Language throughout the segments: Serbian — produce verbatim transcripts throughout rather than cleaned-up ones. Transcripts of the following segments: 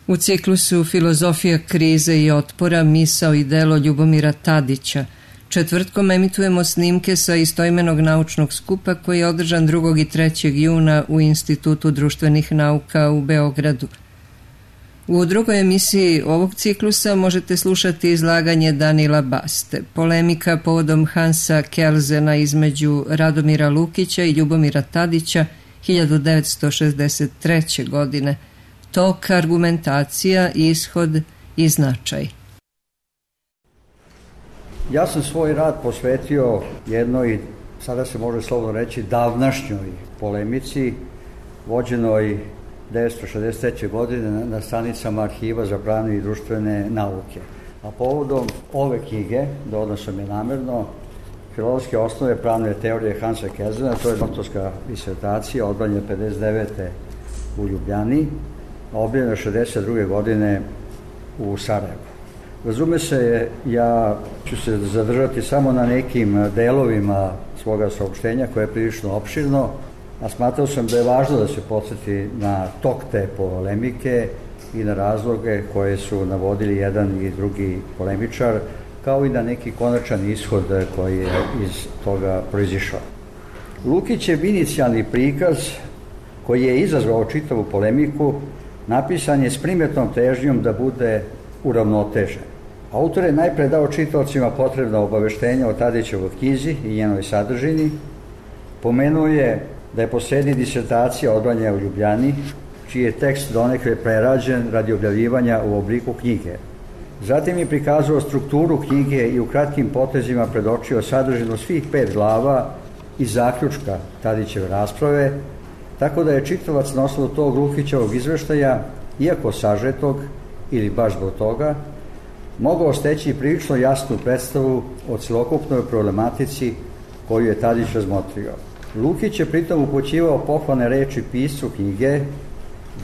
U ciklusu Filozofija krize i otpora, misao i delo Ljubomira Tadića četvrtkom emitujemo snimke sa istoimenog naučnog skupa koji je održan drugog i trećeg juna u Institutu društvenih nauka u Beogradu. U drugoj emisiji ovog ciklusa možete slušati izlaganje Danila Baste, polemika povodom Hansa Kelzena između Radomira Lukića i Ljubomira Tadića hiljadu devetsto šezdeset treće. godine, tok, argumentacija, ishod i značaj. Ja sam svoj rad posvetio jednoj, sada se može slobodno reći, davnašnjoj polemici, vođenoj devetsto šezdeset treće. godine na stranicama Arhiva za pravne i društvene nauke. A povodom ove knjige, dodao sam je namerno, Filozofske osnove pravne teorije Hansa Kelzena, to je doktorska disertacija, odbranjena pedeset devete. u Ljubljani, a objavljena šezdeset druge. godine u Sarajevu. Razume se, ja ću se zadržati samo na nekim delovima svoga saopštenja koje je prilično opširno, a smatrao sam da je važno da se podsjeti na tok te polemike i na razloge koje su navodili jedan i drugi polemičar, kao i na neki konačan ishod koji je iz toga proizišao. Lukićev inicijalni prikaz, koji je izazvao čitavu polemiku, napisan je s primjetnom težnjom da bude uravnotežen. Autor je najpre dao čitaocima potrebna obaveštenja o Tadićevoj knjizi i njenoj sadržini, pomenuo je da je poslednji disertacija odbranjena u Ljubljani, čiji je tekst donekle prerađen radi objavljivanja u obliku knjige. Zatim je prikazao strukturu knjige i u kratkim potezima predočio sadržinu svih pet glava i zaključka Tadićeve rasprave, tako da je čitalac na osnovu tog Lukićevog izveštaja, iako sažetog ili baš zbog toga, mogao steći prilično jasnu predstavu o celokupnoj problematici koju je Tadić razmotrio. Lukić je pritom upućivao pohvalne reči piscu knjige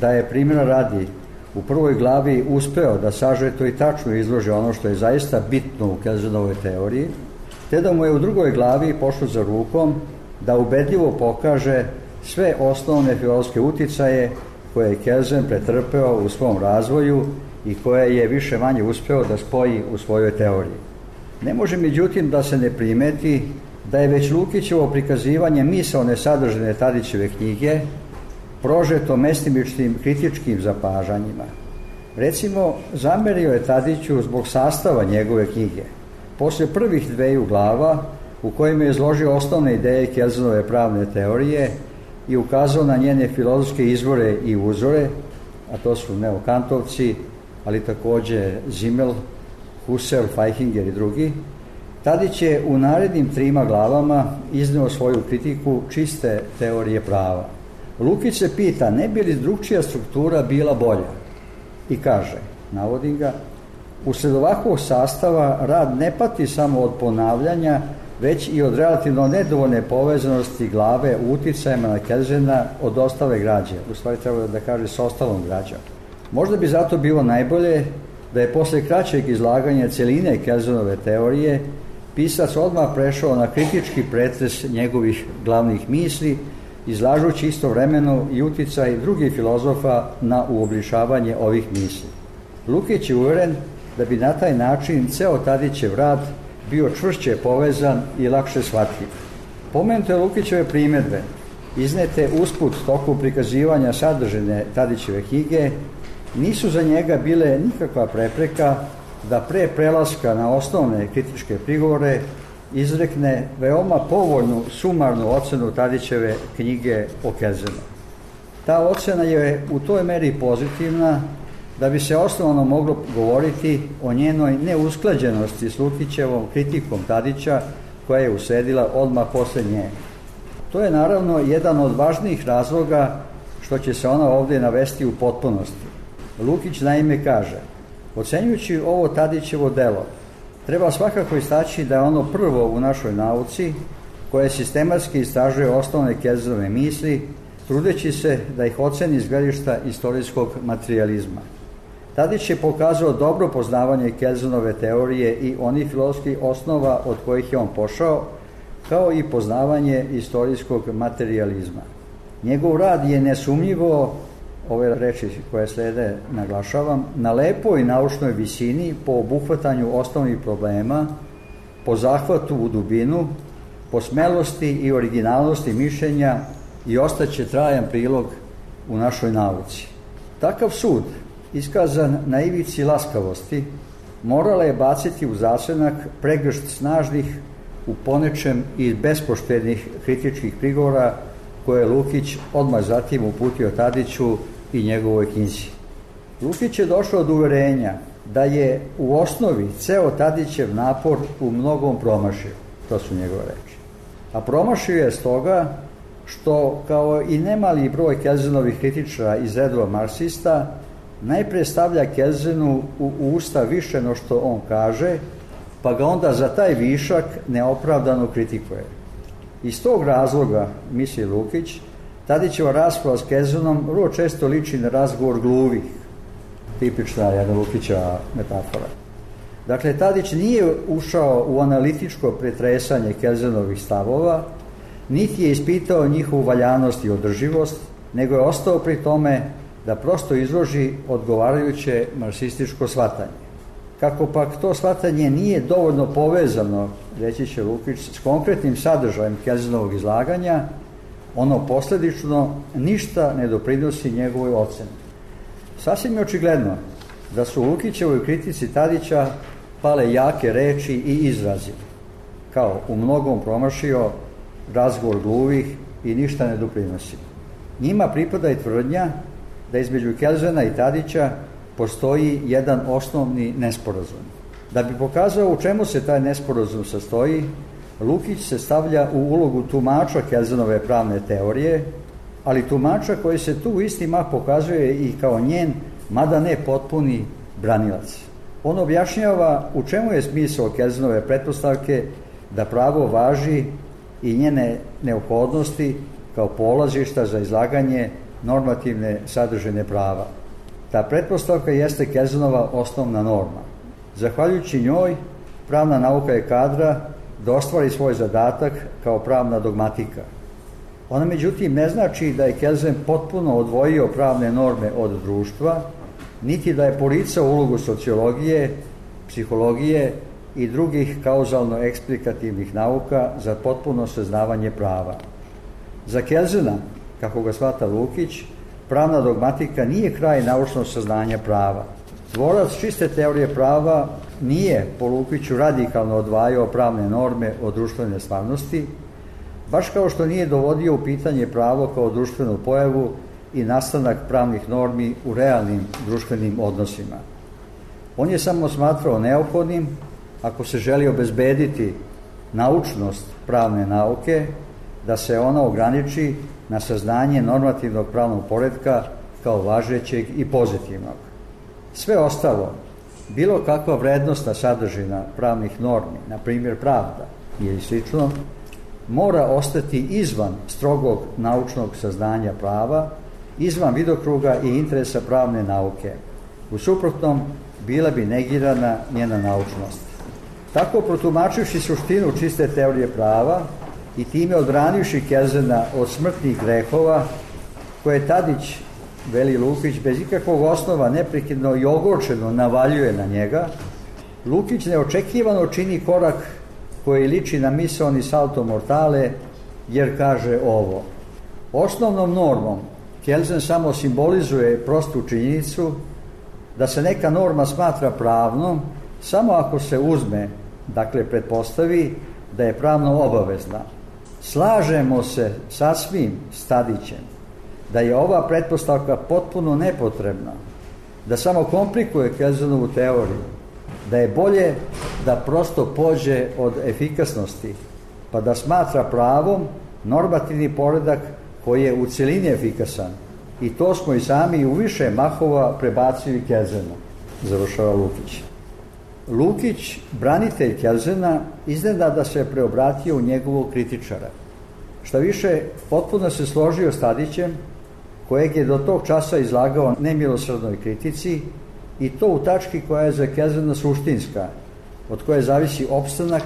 da je, primjera radi, u prvoj glavi uspeo da sažeto i tačno izloži ono što je zaista bitno u Kelzenovoj teoriji, te da mu je u drugoj glavi pošlo za rukom da ubedljivo pokaže sve osnovne filozofske uticaje koje je Kelzen pretrpeo u svom razvoju i koje je više manje uspeo da spoji u svojoj teoriji. Ne može međutim da se ne primeti da je već Lukićevo prikazivanje misaone sadržine Tadićeve knjige prožeto mestimičnim kritičkim zapažanjima. Recimo, zamerio je Tadiću zbog sastava njegove knjige. Posle prvih dveju glava, u kojima je izložio osnovne ideje Kelzenove pravne teorije i ukazao na njene filozofske izvore i uzore, a to su neokantovci, ali takođe Zimmel, Husserl, Feichinger i drugi, Tadić je u narednim trima glavama izneo svoju kritiku čiste teorije prava. Lukić se pita ne bi li drugčija struktura bila bolja i kaže, navodim ga, usled ovakvog sastava rad ne pati samo od ponavljanja, već i od relativno nedovoljne povezanosti glave u uticajima na Kelzena od ostale građe, u stvari treba da kaže s ostalom građom. Možda bi zato bilo najbolje da je posle kraćeg izlaganja celine Kelzenove teorije pisac odmah prešao na kritički pretres njegovih glavnih misli, izlažući istovremeno i uticaj drugih filozofa na uobličavanje ovih misli. Lukić je uveren da bi na taj način ceo Tadićev rad bio čvršće povezan i lakše shvatljiv. Pomenute Lukićeve primjedbe, iznete usput toku prikazivanja sadržine Tadićeve knjige, nisu za njega bile nikakva prepreka da pre prelaska na osnovne kritičke prigovore izrekne veoma povoljnu sumarnu ocenu Tadićeve knjige o Kelzenu. Ta ocena je u toj meri pozitivna da bi se osnovno moglo govoriti o njenoj neusklađenosti s Lukićevom kritikom Tadića koja je usledila odmah posle nje. To je naravno jedan od važnijih razloga što će se ona ovdje navesti u potpunosti. Lukić naime kaže, ocenjujući ovo Tadićevo delo, treba svakako istaći da je ono prvo u našoj nauci koje sistematski istražuje osnovne Kelzenove misli, trudeći se da ih oceni iz gledišta istorijskog materijalizma. Tadić je pokazao dobro poznavanje Kelzenove teorije i onih filozofskih osnova od kojih je on pošao, kao i poznavanje istorijskog materijalizma. Njegov rad je nesumnjivo ove reči koje slede naglašavam, na lepoj naučnoj visini po obuhvatanju osnovnih problema, po zahvatu u dubinu, po smelosti i originalnosti mišljenja i ostaće trajan prilog u našoj nauci. Takav sud, iskazan na ivici laskavosti, morala je baciti u zasenak pregršt snažnih, u ponečem i bespoštednih kritičkih prigovora koje je Lukić odmah zatim uputio Tadiću i njegovoj knjizi. Lukić je došao do uverenja da je u osnovi ceo Tadićev napor u mnogom promašio. To su njegove reči. A promašio je stoga što, kao i nemali broj Kelzenovih kritičara iz redova marksista, najpre stavlja Kelzenu u usta više no što on kaže, pa ga onda za taj višak neopravdano kritikuje. Iz tog razloga, misli Lukić, Tadićeva rasprava s Kelzenom vrlo često liči na razgovor gluvih, tipična jedna Lukićeva metafora. Dakle, Tadić nije ušao u analitičko pretresanje Kelzenovih stavova, niti je ispitao njihovu valjanost i održivost, nego je ostao pri tome da prosto izloži odgovarajuće marksističko shvatanje. Kako pak to shvatanje nije dovoljno povezano, reći će Lukić, s konkretnim sadržajem Kelzenovog izlaganja, ono posledično ništa ne doprinosi njegovoj oceni. Sasvim je očigledno da su u Lukićevoj kritici Tadića pale jake reči i izrazi, kao u mnogom promašio, razgovor gluvih i ništa ne doprinosi. Njima pripada i tvrdnja da između Kelzena i Tadića postoji jedan osnovni nesporazum. Da bi pokazao u čemu se taj nesporazum sastoji, Lukić se stavlja u ulogu tumača Kelzenove pravne teorije, ali tumača koji se tu isti mah pokazuje i kao njen, mada ne potpuni, branilac. On objašnjava u čemu je smisao Kelzenove pretpostavke da pravo važi i njene neophodnosti kao polazišta za izlaganje normativne sadržine prava. Ta pretpostavka jeste Kelzenova osnovna norma. Zahvaljujući njoj, pravna nauka je kadra da ostvari svoj zadatak kao pravna dogmatika. Ona međutim ne znači da je Kelzen potpuno odvojio pravne norme od društva, niti da je poricao ulogu sociologije, psihologije i drugih kauzalno-eksplikativnih nauka za potpuno saznavanje prava. Za Kelzena, kako ga shvata Lukić, pravna dogmatika nije kraj naučnog saznanja prava. Tvorac čiste teorije prava nije po Lukiću radikalno odvajao pravne norme od društvene stvarnosti, baš kao što nije dovodio u pitanje pravo kao društvenu pojavu i nastanak pravnih normi u realnim društvenim odnosima. On je samo smatrao neophodnim, ako se želi obezbediti naučnost pravne nauke, da se ona ograniči na saznanje normativnog pravnog poretka kao važećeg i pozitivnog. Sve ostalo, bilo kakva vrednostna sadržina pravnih normi, na primjer pravda ili slično, mora ostati izvan strogog naučnog saznanja prava, izvan vidokruga i interesa pravne nauke. U suprotnom, bila bi negirana njena naučnost. Tako, protumačivši suštinu čiste teorije prava i time odbranivši Kelzena od smrtnih grehova, koje Tadić, veli Lukić, bez ikakvog osnova neprekidno i ogorčeno navaljuje na njega, Lukić neočekivano čini korak koji liči na misaoni salto mortale, jer kaže ovo: osnovnom normom Kelzen samo simbolizuje prostu činjenicu da se neka norma smatra pravnom samo ako se uzme, dakle pretpostavi, da je pravno obavezna. Slažemo se sasvim s Tadićem da je ova pretpostavka potpuno nepotrebna, da samo komplikuje Kelzenovu teoriju, da je bolje da prosto pođe od efikasnosti, pa da smatra pravom normativni poredak koji je u celini efikasan. I to smo i sami u više mahova prebacili Kelzenu, završava Lukić. Lukić, branitelj Kelzena, iznenada se preobratio u njegovog kritičara. Šta više, potpuno se složio s Tadićem, kojeg je do tog časa izlagao nemilosrdnoj kritici, i to u tački koja je za Kelzena suštinska, od koje zavisi opstanak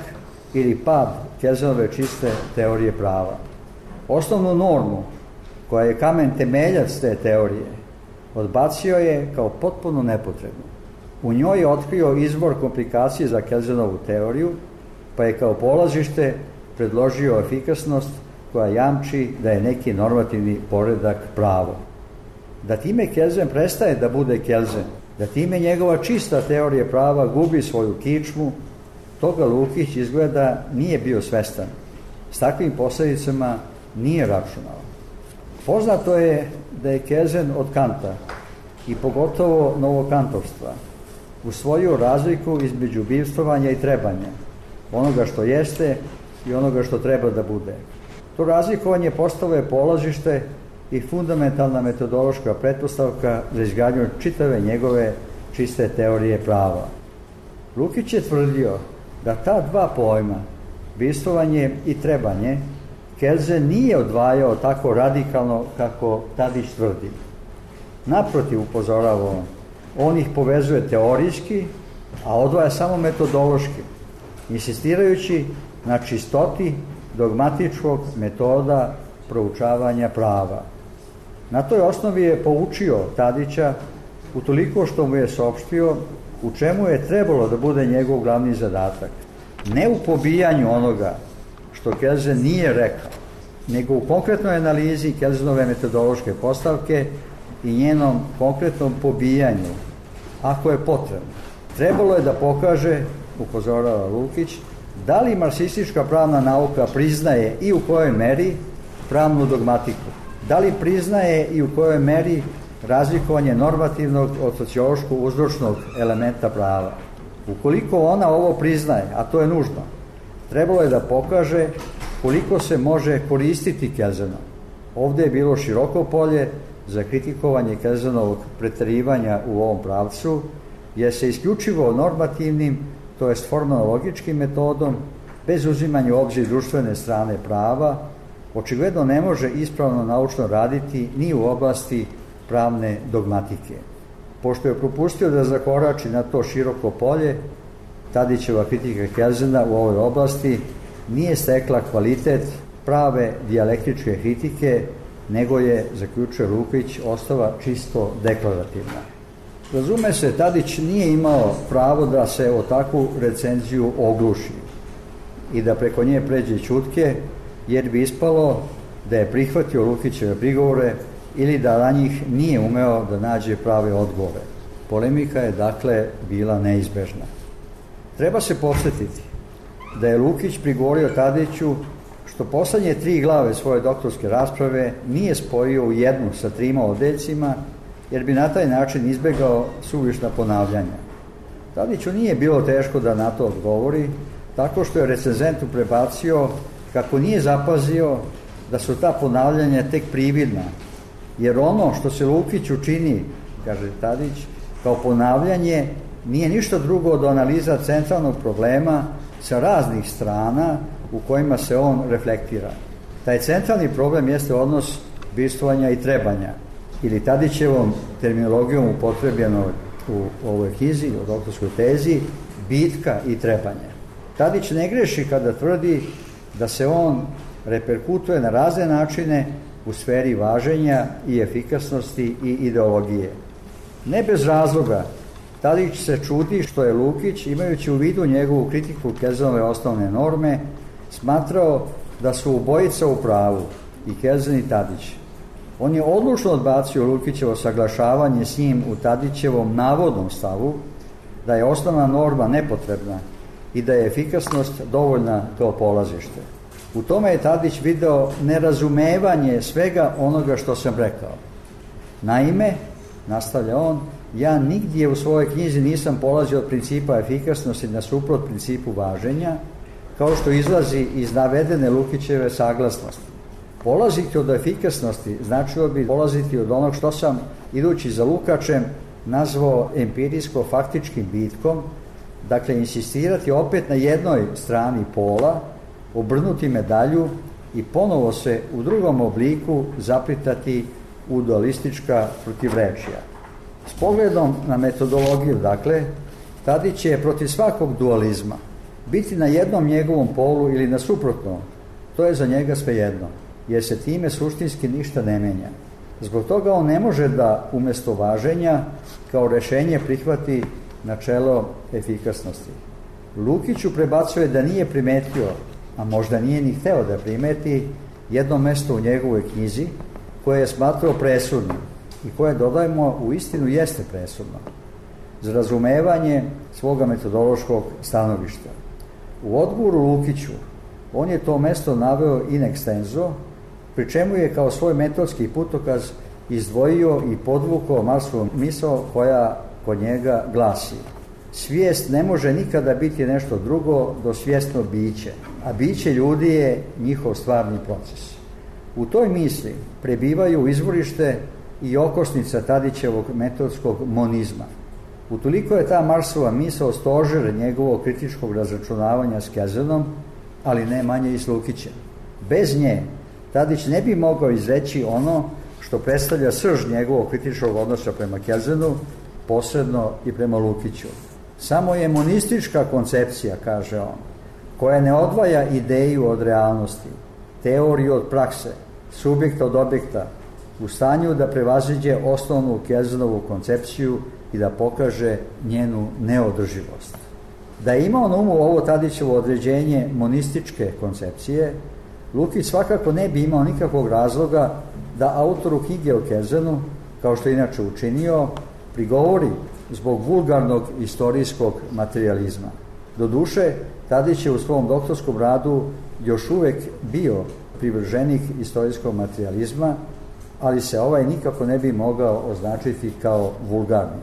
ili pad Kelzenove čiste teorije prava. Osnovnu normu, koja je kamen temeljac te teorije, odbacio je kao potpuno nepotrebnu. U njoj je otkrio izvor komplikacije za Kelzenovu teoriju, pa je kao polazište predložio efikasnost koja jamči da je neki normativni poredak pravo. Da time Kelsen prestaje da bude Kelsen, da time njegova čista teorija prava gubi svoju kičmu, toga Lukić izgleda nije bio svestan. S takvim posledicama nije računao. Poznato je da je Kelsen od Kanta i pogotovo novokantovstva usvojio razliku između bivstvovanja i trebanja, onoga što jeste i onoga što treba da bude. To razlikovanje postalo je polazište i fundamentalna metodološka pretpostavka za izgradnju čitave njegove čiste teorije prava. Lukić je tvrdio da ta dva pojma, bivstvovanje i trebanje, Kelsen nije odvajao tako radikalno kako Tadić tvrdi. Naprotiv, upozorava on, on ih povezuje teorijski, a odvaja samo metodološki, insistirajući na čistoti dogmatičkog metoda proučavanja prava. Na toj osnovi je poučio Tadića utoliko što mu je saopštio u čemu je trebalo da bude njegov glavni zadatak. Ne u pobijanju onoga što Kelsen nije rekao, nego u konkretnoj analizi Kelsenove metodološke postavke i njenom konkretnom pobijanju, ako je potrebno. Trebalo je da pokaže, upozorava Lukić, da li marksistička pravna nauka priznaje i u kojoj meri pravnu dogmatiku, da li priznaje i u kojoj meri razlikovanje normativnog od sociološkog uzročnog elementa prava. Ukoliko ona ovo priznaje, a to je nužno, trebalo je da pokaže koliko se može koristiti Kelsenom. Ovde je bilo široko polje za kritikovanje Kelsenovog preterivanja u ovom pravcu, jer se isključivo normativnim, to jest formalno-logičkim metodom, bez uzimanja u obzir društvene strane prava, očigledno ne može ispravno naučno raditi ni u oblasti pravne dogmatike. Pošto je propustio da zakorači na to široko polje, Tadićeva kritika Kelsena u ovoj oblasti nije stekla kvalitet prave dijalektičke kritike, nego je, zaključuje Lukić, ostala čisto deklarativna. Razume se, Tadić nije imao pravo da se o takvu recenziju ogluši i da preko nje pređe ćutke, jer bi ispalo da je prihvatio Lukićeve prigovore ili da na njih nije umeo da nađe prave odgovore. Polemika je, dakle, bila neizbežna. Treba se podsjetiti da je Lukić prigovorio Tadiću što poslednje tri glave svoje doktorske rasprave nije spojio u jednu sa trima odeljcima, jer bi na taj način izbegao suvišna ponavljanja. Tadiću nije bilo teško da na to odgovori, tako što je recenzentu prebacio kako nije zapazio da su ta ponavljanja tek prividna, jer ono što se Lukiću čini, kaže Tadić, kao ponavljanje nije ništa drugo od analiza centralnog problema sa raznih strana u kojima se on reflektira. Taj centralni problem jeste odnos bivstvovanja i trebanja, ili Tadićevom terminologijom upotrebljeno u ovoj knjizi, u doktorskoj tezi, bitka i trebanje. Tadić ne greši kada tvrdi da se on reperkutuje na razne načine u sferi važenja i efikasnosti i ideologije. Ne bez razloga, Tadić se čudi što je Lukić, imajući u vidu njegovu kritiku Kelsenove osnovne norme, smatrao da su obojica u pravu, i Kelsen i Tadić. On je odlučno odbacio Lukićevo saglašavanje s njim u Tadićevom navodnom stavu da je osnovna norma nepotrebna i da je efikasnost dovoljna kao polazište. U tome je Tadić video nerazumevanje svega onoga što sam rekao. Naime, nastavlja on, ja nigdje u svojoj knjizi nisam polazio od principa efikasnosti nasuprot principu važenja, kao što izlazi iz navedene Lukićeve saglasnosti. Polaziti od efikasnosti značilo bi polaziti od onog što sam, idući za Lukačem, nazvao empirijsko-faktičkim bitkom, dakle insistirati opet na jednoj strani pola, obrnuti medalju i ponovo se u drugom obliku zaplitati u dualistička protivrečja. S pogledom na metodologiju, dakle, Tadić je protiv svakog dualizma. Biti na jednom njegovom polu ili na suprotnom, to je za njega svejedno, jer se time suštinski ništa ne menja. Zbog toga on ne može da umesto važenja kao rešenje prihvati načelo efikasnosti. Lukiću prebacuje da nije primetio, a možda nije ni hteo da primeti, jedno mesto u njegovoj knjizi koje je smatrao presudnim i koje, dodajmo, u istinu jeste presudno za razumevanje svoga metodološkog stanovišta. U odgovoru Lukiću on je to mesto naveo in extenso, pri čemu je kao svoj metodski putokaz izdvojio i podvukao Marsovu misao koja kod njega glasi: svijest ne može nikada biti nešto drugo do svjesno biće, a biće ljudi je njihov stvarni proces. U toj misli prebivaju izvorište i okosnica Tadićevog metodskog monizma. Utoliko je ta Marsova misao stožer njegovog kritičkog razračunavanja s Kelzenom, ali ne manje i s Lukićem. Bez nje Tadić ne bi mogao izreći ono što predstavlja srž njegovog kritičkog odnosa prema Kelzenu, posredno i prema Lukiću. Samo je monistička koncepcija, kaže on, koja ne odvaja ideju od realnosti, teoriju od prakse, subjekta od objekta, u stanju da prevaziđe osnovnu Kelzenovu koncepciju i da pokaže njenu neodrživost. Da je imao na umu ovo Tadićevo određenje monističke koncepcije, Lukić svakako ne bi imao nikakvog razloga da autoru knjige o Kelzenu, kao što je inače učinio, prigovori zbog vulgarnog istorijskog materijalizma. Doduše, Tadić je u svom doktorskom radu još uvek bio privrženik istorijskog materijalizma, ali se ovaj nikako ne bi mogao označiti kao vulgarni.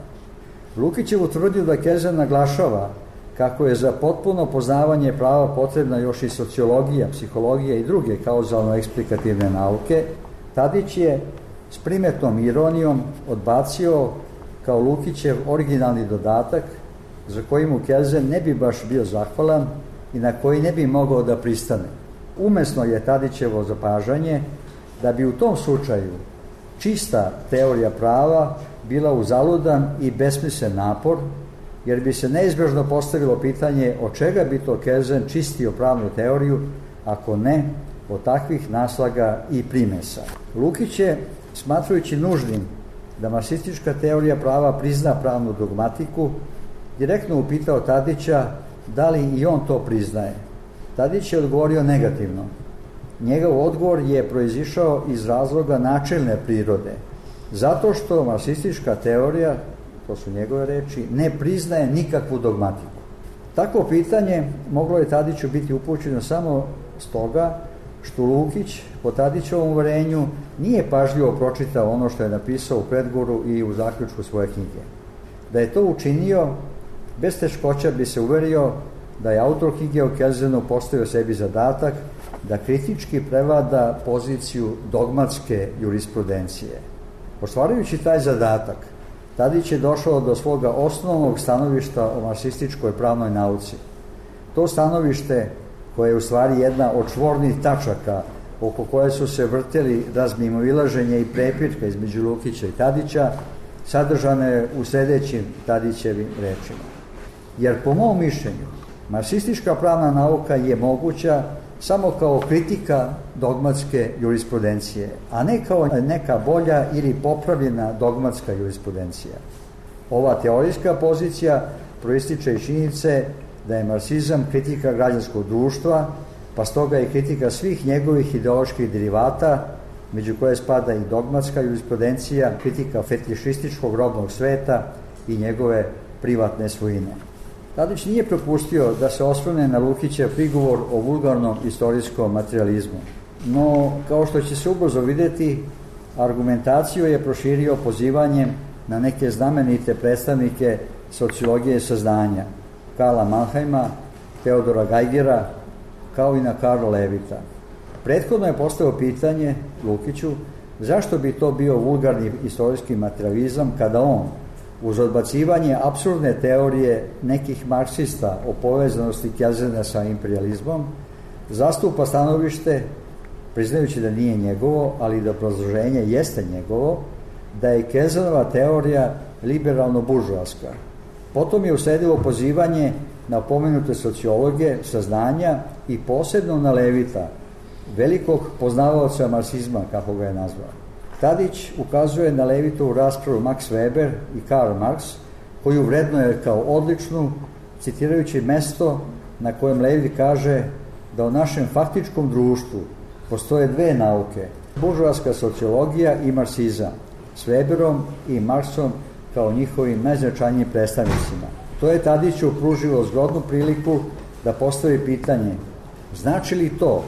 Lukić je utvrdio da Kelzen naglašava kako je za potpuno poznavanje prava potrebna još i sociologija, psihologija i druge kauzalno-eksplikativne nauke. Tadić je s primetnom ironijom odbacio kao Lukićev originalni dodatak za koji mu Kelzen ne bi baš bio zahvalan i na koji ne bi mogao da pristane. Umesno je Tadićevo zapažanje da bi u tom slučaju čista teorija prava bila uzaludan i besmislen napor, jer bi se neizbježno postavilo pitanje od čega bi to Kelzen čistio pravnu teoriju, ako ne od takvih naslaga i primesa. Lukić je, smatrajući nužnim da marksistička teorija prava prizna pravnu dogmatiku, direktno upitao Tadića da li i on to priznaje. Tadić je odgovorio negativno. Njegov odgovor je proizišao iz razloga načelne prirode, zato što marksistička teorija, to su njegove reči, ne priznaje nikakvu dogmatiku. Takvo pitanje moglo je Tadiću biti upućeno samo stoga što Lukić, po Tadićevom uverenju, nije pažljivo pročitao ono što je napisao u predgovoru i u zaključku svoje knjige. Da je to učinio, bez teškoća bi se uverio da je autor knjige o Kelzenu postavio sebi zadatak da kritički prevlada poziciju dogmatske jurisprudencije. Ostvarujući taj zadatak, Tadić je došao do svoga osnovnog stanovišta o marksističkoj pravnoj nauci. To stanovište, koje je u stvari jedna od čvornih tačaka oko koje su se vrteli razmimoilaženje i prepirka između Lukića i Tadića, sadržane je u sljedećim Tadićevim rečima. Jer po mom mišljenju, marksistička pravna nauka je moguća samo kao kritika dogmatske jurisprudencije, a ne kao neka bolja ili popravljena dogmatska jurisprudencija. Ova teorijska pozicija proističe iz činjenice da je marksizam kritika građanskog društva, pa stoga je kritika svih njegovih ideoloških derivata, među koje spada i dogmatska jurisprudencija, kritika fetišističkog robnog sveta i njegove privatne svojine. Tadić nije propustio da se osvrne na Lukićev prigovor o vulgarnom istorijskom materijalizmu. No, kao što će se ubrzo vidjeti, argumentaciju je proširio pozivanjem na neke znamenite predstavnike sociologije saznanja, Karla Mannheima, Teodora Geigera, kao i na Karla Levita. Prethodno je postavio pitanje Lukiću zašto bi to bio vulgarni istorijski materijalizam kada on, uz odbacivanje apsurdne teorije nekih marksista o povezanosti Kelzena sa imperializmom, zastupa stanovište, priznajući da nije njegovo, ali da obrazloženje jeste njegovo, da je Kelzenova teorija liberalno-buržoaska. Potom je usledilo pozivanje na pomenute sociologe saznanja i posebno na Levita, velikog poznavaoca marksizma, kako ga je nazvao. Tadić ukazuje na Levitovu raspravu Max Weber i Karl Marx, koju vrednuje kao odličnu, citirajući mesto na kojem Levit kaže da u našem faktičkom društvu postoje dve nauke, buržoaska sociologija i marksizam, s Weberom i Marksom kao njihovim najznačajnijim predstavnicima. To je Tadiću pružilo zgodnu priliku da postavi pitanje: znači li to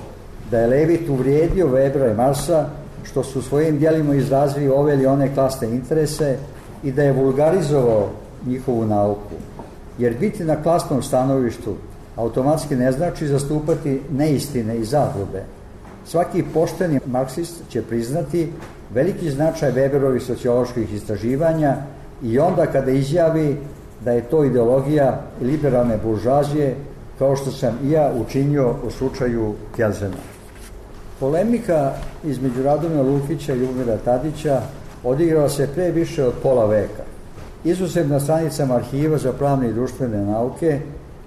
da je Levit uvrijedio Webera i Marksa što su svojim djelima izrazili ove ili one klasne interese i da je vulgarizovao njihovu nauku? Jer biti na klasnom stanovištu automatski ne znači zastupati neistine i zablude. Svaki pošteni marksist će priznati veliki značaj Weberovih socioloških istraživanja i onda kada izjavi da je to ideologija liberalne buržoazije, kao što sam i ja učinio u slučaju Kelzena. Polemika između Radomira Lukića i Ljubomira Tadića odigrala se pre više od pola veka. Izuzev na stranicama Arhiva za pravne i društvene nauke,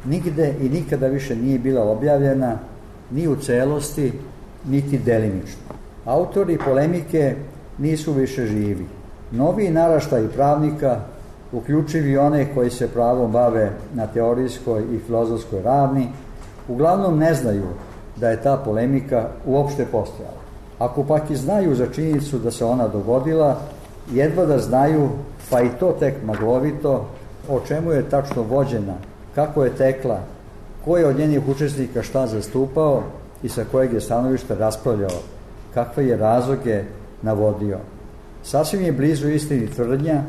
nigde i nikada više nije bila objavljena ni u celosti, niti delimično. Autori polemike nisu više živi. Novi naraštaj pravnika, uključivi one koji se pravom bave na teorijskoj i filozofskoj ravni, uglavnom ne znaju da je ta polemika uopšte postojala. Ako pak i znaju za činjenicu da se ona dogodila, jedva da znaju, pa i to tek maglovito, o čemu je tačno vođena, kako je tekla, ko je od njenih učesnika šta zastupao i sa kojeg je stanovišta raspravljao, kakve je razloge navodio. Sasvim je blizu istini tvrdnja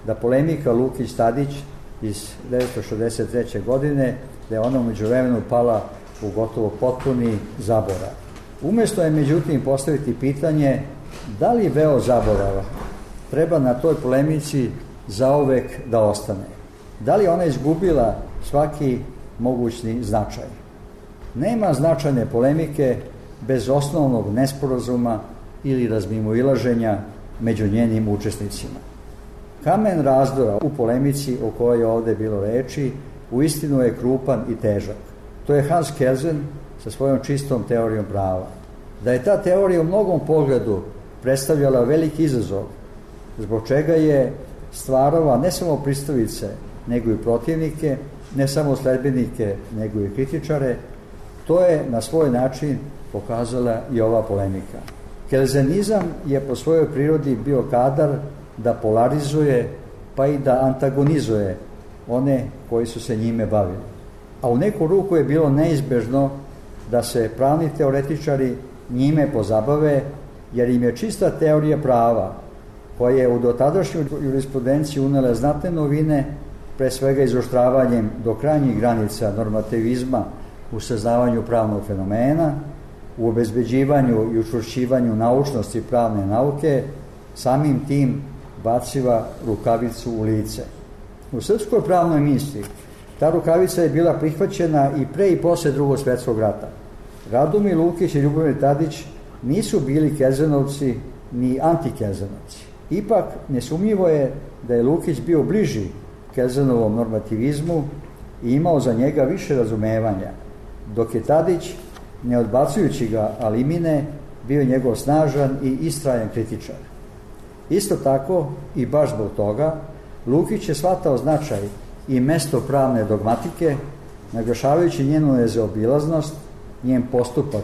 da polemika Lukić-Tadić iz devetsto šezdeset treće. godine, da je ona u međuvremenu pala u gotovo potpuni zaborav. Umesto je međutim postaviti pitanje da li veo zaborava treba na toj polemici zauvek da ostane. Da li ona izgubila svaki mogućni značaj? Nema značajne polemike bez osnovnog nesporazuma ili razmimoilaženja među njenim učesnicima. Kamen razdora u polemici o kojoj je ovde bilo reči uistinu je krupan i težak. To je Hans Kelsen sa svojom čistom teorijom prava. Da je ta teorija u mnogom pogledu predstavljala veliki izazov, zbog čega je stvarala ne samo pristavice, nego i protivnike, ne samo sledbenike, nego i kritičare, to je na svoj način pokazala i ova polemika. Kelsenizam je po svojoj prirodi bio kadar da polarizuje, pa i da antagonizuje one koji su se njime bavili. A u neku ruku je bilo neizbežno da se pravni teoretičari njime pozabave, jer im je čista teorija prava, koja je u dotadašnju jurisprudenciju unela znatne novine, pre svega izoštravanjem do krajnjih granica normativizma u saznavanju pravnog fenomena, u obezbeđivanju i učvršćivanju naučnosti pravne nauke, samim tim baciva rukavicu u lice. U srpskoj pravnoj misli ta rukavica je bila prihvaćena i pre i posle Drugog svjetskog rata. Radomir Lukić i Ljubomir Tadić nisu bili Kelzenovci ni antikelzenovci. Ipak, nesumnjivo je da je Lukić bio bliži Kelzenovom normativizmu i imao za njega više razumevanja, dok je Tadić, ne odbacujući ga alimine, bio njegov snažan i istrajan kritičar. Isto tako, i baš zbog toga, Lukić je shvatao značaj i mesto pravne dogmatike, naglašavajući njenu nezaobilaznost, njen postupak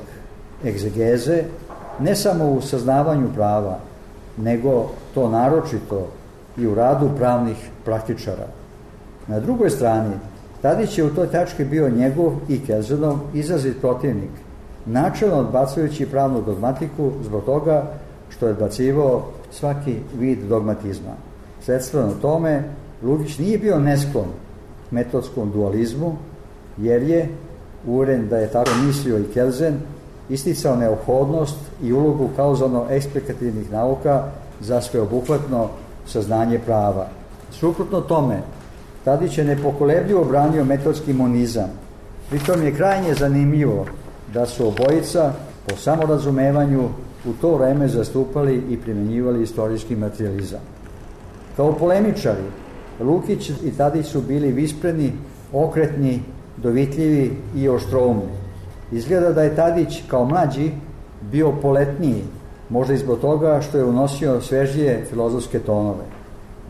egzegeze, ne samo u saznavanju prava, nego to naročito i u radu pravnih praktičara. Na drugoj strani, Tadić je u toj tački bio njegov i Kelzenov izrazit protivnik, načelno odbacujući pravnu dogmatiku zbog toga što je odbacivao svaki vid dogmatizma. Sledstveno tome, Lukić nije bio nesklon metodskom dualizmu, jer je, uveren da je tako mislio i Kelsen, isticao neophodnost i ulogu kauzalno-eksplikativnih nauka za sveobuhvatno saznanje prava. Suprotno tome, Tadić je nepokolebljivo branio metodski monizam. Pritom je krajnje zanimljivo da su obojica po samorazumevanju u to vreme zastupali i primjenjivali istorijski materijalizam. Kao polemičari, Lukić i Tadić su bili vispreni, okretni, dovitljivi i oštroumni. Izgleda da je Tadić kao mlađi bio poletniji, možda i zbog toga što je unosio svežije filozofske tonove.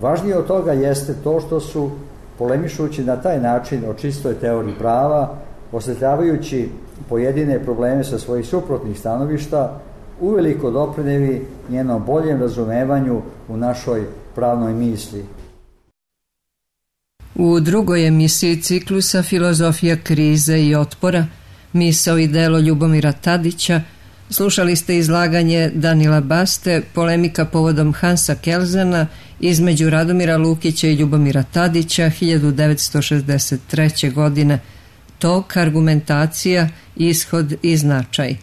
Važnije od toga jeste to što su, polemišući na taj način o čistoj teoriji prava, osvetljavajući pojedine probleme sa svojih suprotnih stanovišta, uveliko doprineli njenom boljem razumevanju u našoj pravnoj misli. U drugoj emisiji ciklusa Filozofija krize i otpora, misao i delo Ljubomira Tadića, slušali ste izlaganje Danila Baste, polemika povodom Hansa Kelzena između Radomira Lukića i Ljubomira Tadića hiljadu devetsto šezdeset treće. godine, tok, argumentacija, ishod i značaj.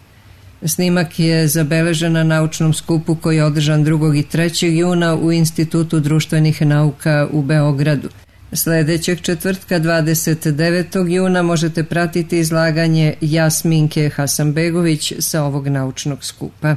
Snimak je zabeležen na naučnom skupu koji je održan drugog i trećeg juna u Institutu društvenih nauka u Beogradu. Sljedećeg četvrtka dvadeset devetog juna možete pratiti izlaganje Jasminke Hasanbegović sa ovog naučnog skupa.